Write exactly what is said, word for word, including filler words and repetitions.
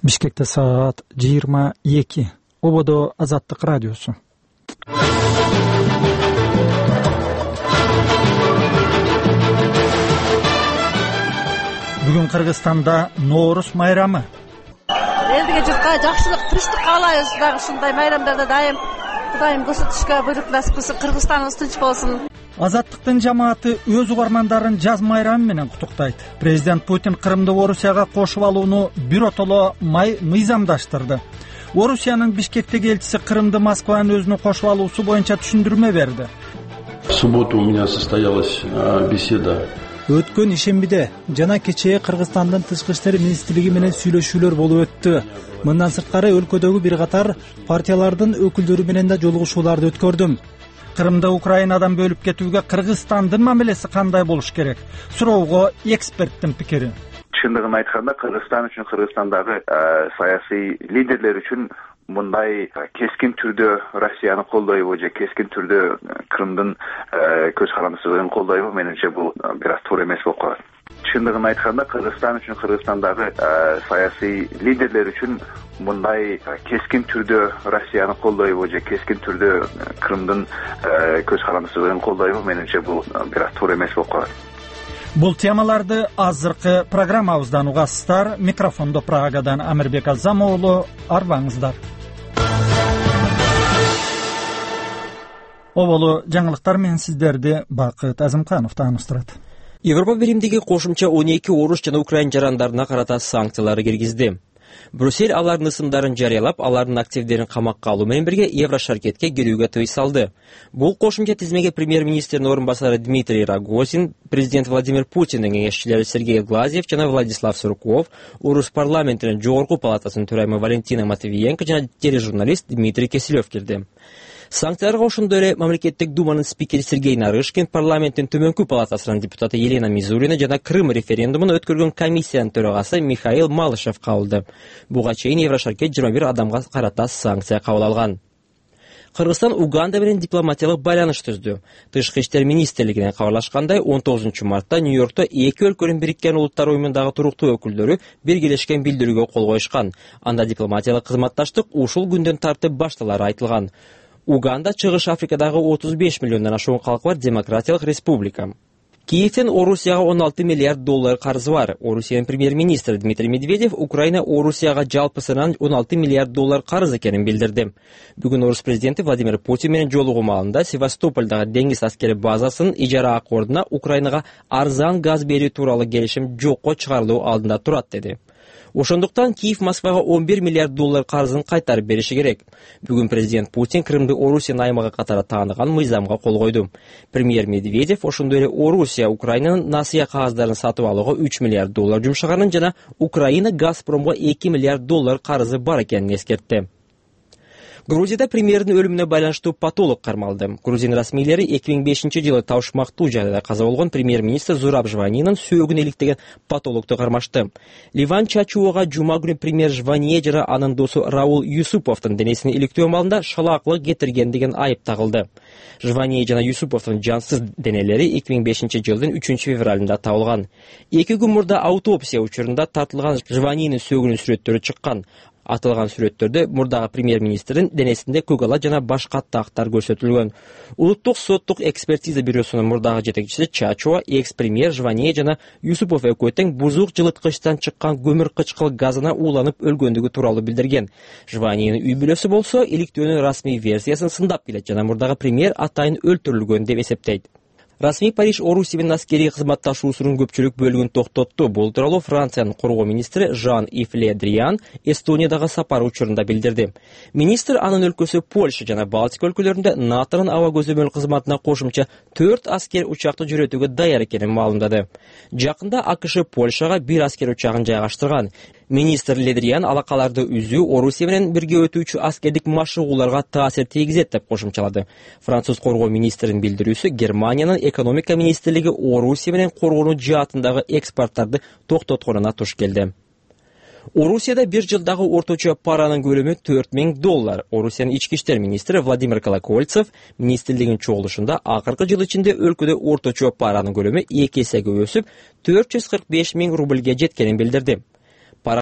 Бишкекте саат жыйырма эки. Ободо Азаттык радиосу. Бүгүн Кыргызстанда Ноорус майрамы. Элдиге журтка жакшылык, тынчтык каалайбыз. Дагы ушундай майрамдарда дайым Кудайым көрсөтүшкө буйрук насип кылсын, Кыргызстаныбыз тынч болсун. Азаттыктын жамааты өз угармандарын жаз майрамы менен куттуктайт. Президент Путин Крымды Орусияга кошуп алууну биротоло мыйзамдаштырды. Орусиянын Бишкектеги элчиси Крымды Москванын өзүнө кошуп алуусу боюнча түшүндүрмө берди. В субботу у меня состоялась беседа. Өткөн ишембиде жана кечээ Кыргызстандын тышкы иштер министрлиги менен сүйлөшүүлөр болуп өттү. Мындан сырткары өлкөдөгү бир катар партиялардын өкүлдөрү менен да жолугушууларды өткөрдүм. Крымды Украинадан бөлүп кетүүгө Кыргызстандын мамилеси кандай болуш керек? Суроого эксперттин пикири. Чындыгын айтканда, Кыргызстан үчүн, Кыргызстандагы саясий лидерлер үчүн мындай кескин түрдө Россияны колдойбу же кескин түрдө Крымдын көз карандысын колдойбу, менимче бул бир аз туура эмес болуп калат. Чындыгын айтканда, Кыргызстан үчүн, Кыргызстандагы саясий лидерлер үчүн мындай кескин түрдө Россияны колдойбу же кескин түрдө Крымдын көз карандысын колдойбу, менимче бул бир аз туура эмес болуп калат. Бул темаларды азыркы программабыздан угасыздар. Микрофондо Прагадан Амирбек Азамоğlu, арбаңыздар. Оболу жаңылыктар менен сиздерди Бакыт Азымканов тааныштырат. Европа биримдиги кошумча он эки Орус жана Украин жарандарына карата санкциялар киргизди. Брюссель алардын ысымдарын жарыялап, алардын активдерин камакка алуу менен бирге Еврошаркетке келүүгө тыюу салды. Бул кошумча тизмеге премьер-министрдин орун басары Дмитрий Рогозин, президент Владимир Путиндин кеңешчилери Сергей Глазьев жана Владислав Сурков, Орус парламентинин жогорку палатасынын төрайымы Валентина Матвиенко жана тележурналист Дмитрий Киселев кирди. Санкцияларга ошондой эле мамлекеттик думанын спикери Сергей Нарышкин, парламенттин төмөнкү палатасынын депутаты Елена Мизурина жана Крым референдумун өткөргөн комиссиянын төрагасы Михаил Малышев кабылды. Буга чейин Еврошаркет жыйырма бир адамга карата санкция кабыл алган. Кыргызстан Уганда менен дипломатиялык байланыш түздү. Тышкы иштер министрлигинен кабарлашкандай, он тогузунчу мартта Нью-Йоркто эки өлкөнүн Бириккен Улуттар уюмундагы туруктуу өкүлдөрү биргелешкен билдирүүгө кол коюшкан. Анда дипломатиялык кызматташтык ушул күндөн тартып башталары айтылган. Уганда Чыгыш Африкадагы отуз беш миллиондон ашуун калкы бар демократиялык республика. Киевден Орусияга он алты миллиард доллар карызы бар. Орусиянын премьер-министри Дмитрий Медведев Украина Орусияга жалпысынан он алты миллиард доллар карыз экенин билдирди. Бүгүн Орус президенти Владимир Путин менен жолугуу маалында Севастопольдагы деңиз аскери базасынын ижара аккордуна Украинага арзан газ берүү тууралуу келишим жокко чыгарылуу алдында турат деди. Ошондуктан Киев Москвага он бир миллиард доллар карызын кайтарып бериши керек. Бүгүн президент Путин Крымды Орусиянын аймагы катары тааныган мыйзамга кол койду. Премьер Медведев ошондой эле Орусия Украинанын насыя кагаздарын сатып алууга үч миллиард доллар жумшаганын жана Украина Газпромго эки миллиард доллар карызы бар экенин эскертти. Грузияда премьердин өлүмүнө байланыштуу патолог кармалды. Грузин расмийлери эки миң бешинчи жылы табышмактуу жайда каза болгон премьер-министр Зураб Жванинин сөөгүн иликтеген патологду кармашты. Ливан Чачуога жума күнү премьер Жвание жана анын досу Раул Юсуповдун денесин иликтөө маалында шалаакылык кетирген деген айып тагылды. Жвание жана Юсуповдун жансыз денелери эки миң бешинчи жылдын үчүнчү февралында табылган. Эки күн мурда аутопсия учурунда тартылган Жванинин сөөгүнүн сүрөттөрү чыккан. Атылган сүрөттөрдө мурдагы премьер-министрдин денесинде көк ала жана башка тактар көрсөтүлгөн. Улуттук соттук экспертиза бюросунун мурдагы жетекчиси Чачуа, экс-премьер Жвание жана Юсупов экөө тең бузук жылыткычтан чыккан көмүр кычкыл газына ууланып өлгөндүгү тууралуу билдирген. Жваниянын үй бүлөсү болсо иликтөөнүн расмий версиясын сындап келет жана мурдагы премьер атайын өлтүрүлгөн деп эсептейт. Расмий Париж Орусия менен аскерий кызматташуусунун көпчүлүк бөлүгүн токтотту. Бул тууралуу Франциянын коргоо министри Жан-Ив Ле Дриан Эстониядагы сапары учурунда билдирди. Министр анын өлкөсү Польша жана Балтика өлкөлөрүндө НАТОнун аба көзөмөл кызматына кошумча төрт аскер учакты жүрөтүүгө даяр экенин маалымдады. Жакында АКШ Польшага бир аскер учагын жайгаштырган. Министр Ледриан алакаларды үзүү Орусия менен бирге өтүүчү аскердик машыгууларга таасир тийгизет деп кошумчалады. Француз коргоо министринин билдирүүсү Германиянын экономика министрлиги Орусия менен коргонуу жаатындагы экспорттарды токтотконуна туш келди. Орусияда бир жылдагы орточо паранын көлөмү төрт миң доллар. Орусиянын ички иштер министри Владимир Колокольцев министрлигинин чогулушунда акыркы жыл ичинде өлкөдө орточо паранын көлөмү эки эсеге өсүп, төрт жүз кырк беш миң рубльге жеткенин билдирди.